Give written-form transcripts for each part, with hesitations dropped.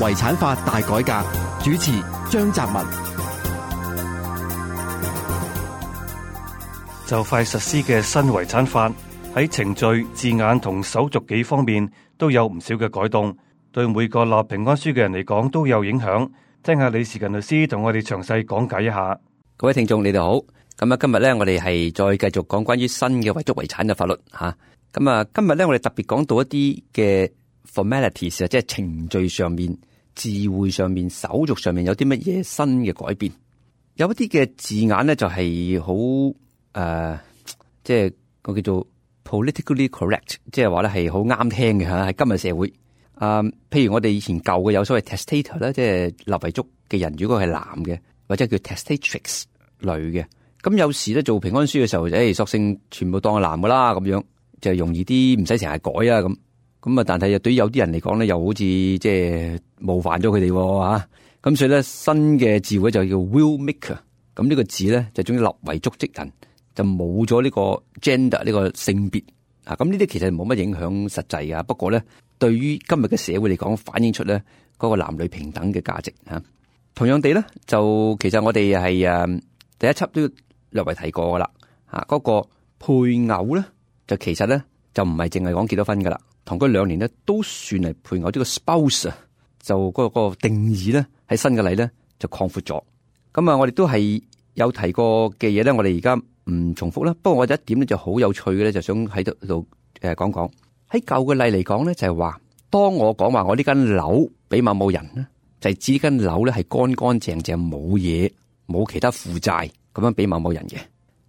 遺產法大改革，主持張澤文。就快實施嘅新遺產法喺程序、字眼同手續幾方面都有唔少嘅改動，對每個立平安書嘅人嚟講都有影響。聽下李時近律師同我哋詳細講解一下。各位聽眾，你哋好。咁今日咧，我哋係再繼續講關於新嘅遺囑遺產嘅法律吓。今日咧，我哋特別講到一啲嘅 formalities 啊，即係程序上面、字彙上面、手續上面有啲乜嘢新嘅改變。有一啲嘅字眼咧就係好即係個叫做 politically correct， 即係話咧係好啱聽嘅吓，喺今日社會。譬如我哋以前舊嘅有所謂 testator 咧，即係立遺囑嘅人，如果係男嘅，或者叫 testatrix 女嘅，咁有時咧做平安書嘅時候，索性全部當係男噶啦，咁樣就容易啲，唔使成日改啊咁啊。但係對於有啲人嚟講咧，又好似即係冒犯咗佢哋吓。咁所以咧，新嘅字彙就叫 will maker。咁呢個字咧就總之立遺囑職人，就冇咗呢個 gender 呢個性別啊。咁呢啲其實冇乜影響實際噶。不過咧，對於今日嘅社會嚟講，反映出咧嗰個男女平等嘅價值吓。同樣地咧，就其實我哋係第一輯都略為提過噶啦吓。嗰個配偶咧，就其實咧就唔係淨係講結咗婚噶啦，同居2年咧都算係配偶。呢個 spouse 啊，就嗰個定義咧喺新嘅例咧就擴闊咗。咁我哋都係有提過嘅嘢咧，我哋而家唔重複啦。不過我有一點咧就好有趣嘅咧，就想喺度講講。喺舊嘅例嚟講咧，就係話當我講話我呢間樓俾某人咧，就係指呢間樓咧係乾乾淨淨，冇嘢，冇其他負債咁樣俾某人嘅。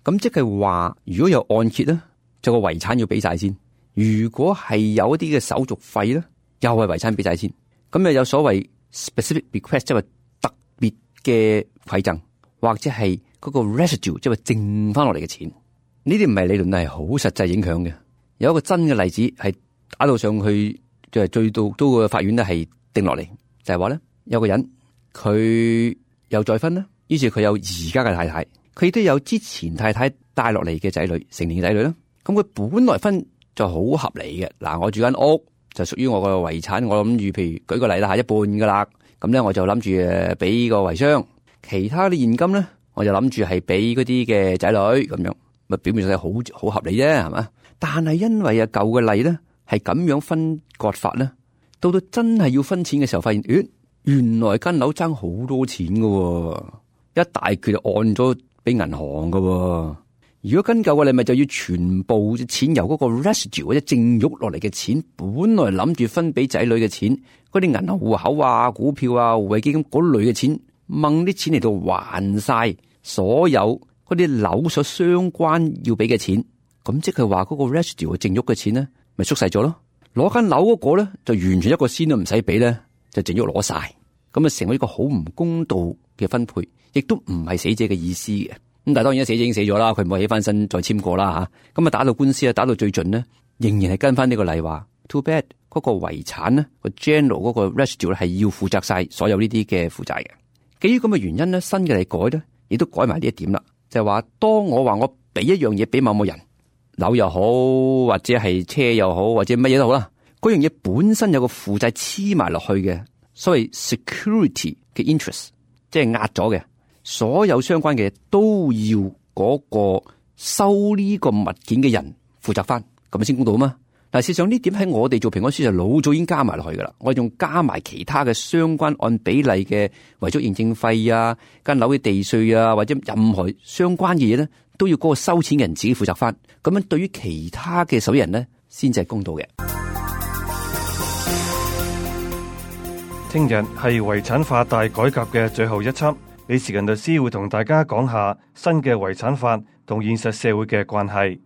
咁即係話，如果有按揭咧，就個遺產要俾晒先；如果係有一啲嘅手續費咧，又係遺產俾晒先。咁有所謂 specific bequest， 即係特別嘅饋贈，或者係嗰個 residue， 即係剩翻落嚟嘅錢。呢啲唔係理論，係好實際影響嘅。有一個真嘅例子係打到上去，就係最到都個法院咧係定落嚟，就係話咧有個人佢又再婚啦，於是佢有而家嘅太太，佢亦都有之前太太帶落嚟嘅仔女，成年嘅仔女啦。咁佢本來分就好合理嘅。嗱，我住間屋就屬於我個遺產，我諗住譬如舉個例啦，一半噶啦。咁咧我就諗住俾個遺孀，其他啲現金咧我就諗住係俾嗰啲嘅仔女咁樣。咪表面上係好合理啫，係嘛？但係因為舊嘅例咧係咁樣分割法咧，到真係要分錢嘅時候，發現原來間樓爭好多錢噶，一大橛就按咗俾銀行噶。如果跟舊嘅例，咪就要全部錢由嗰個 residue 或者淨喐落嚟嘅錢，本來諗住分俾仔女嘅錢，嗰啲銀行戶口啊、股票啊、護衛基金嗰類嘅錢，掹啲錢嚟到還晒所有嗰啲樓所相關要俾嘅錢。咁即係話嗰個 residue 淨喐嘅錢咧，咪縮細咗咯。攞間樓嗰個咧，就完全一個仙都唔使俾咧，就淨喐攞晒。咁啊，成為一個好唔公道嘅分配，亦都唔係死者嘅意思嘅。咁但係當然，死者已經死咗啦，佢唔會起翻身再簽過啦吓。咁打到官司啊，打到最盡咧，仍然係跟翻呢個例話。Too bad，嗰個遺產咧，個 general 嗰個 residue 咧係要負責晒所有呢啲嘅負債嘅。基於咁嘅原因咧，新嘅嚟改咧，亦都改埋呢一點啦，就係話當我話我俾一樣嘢俾某人，樓又好，或者係車又好，或者乜嘢都好啦，嗰樣嘢本身有個負債黐埋落去嘅，所謂 security 嘅 interest， 即係壓咗嘅。所有相關嘅都要嗰個收呢個物件嘅人負責翻，咁先公道啊嘛。但係事實上呢點喺我哋做平安書就老早已經加埋落去噶啦，我哋仲加埋其他嘅相關按比例嘅遺囑認證費啊、間樓嘅地稅啊，或者任何相關嘅嘢咧，都要嗰個收錢嘅人自己負責翻。咁樣對於其他嘅受益人咧，先至係公道嘅。聽日係遺產法大改革嘅最後一輯。李時近律師會同大家講下新嘅遺產法同現實社會嘅關係。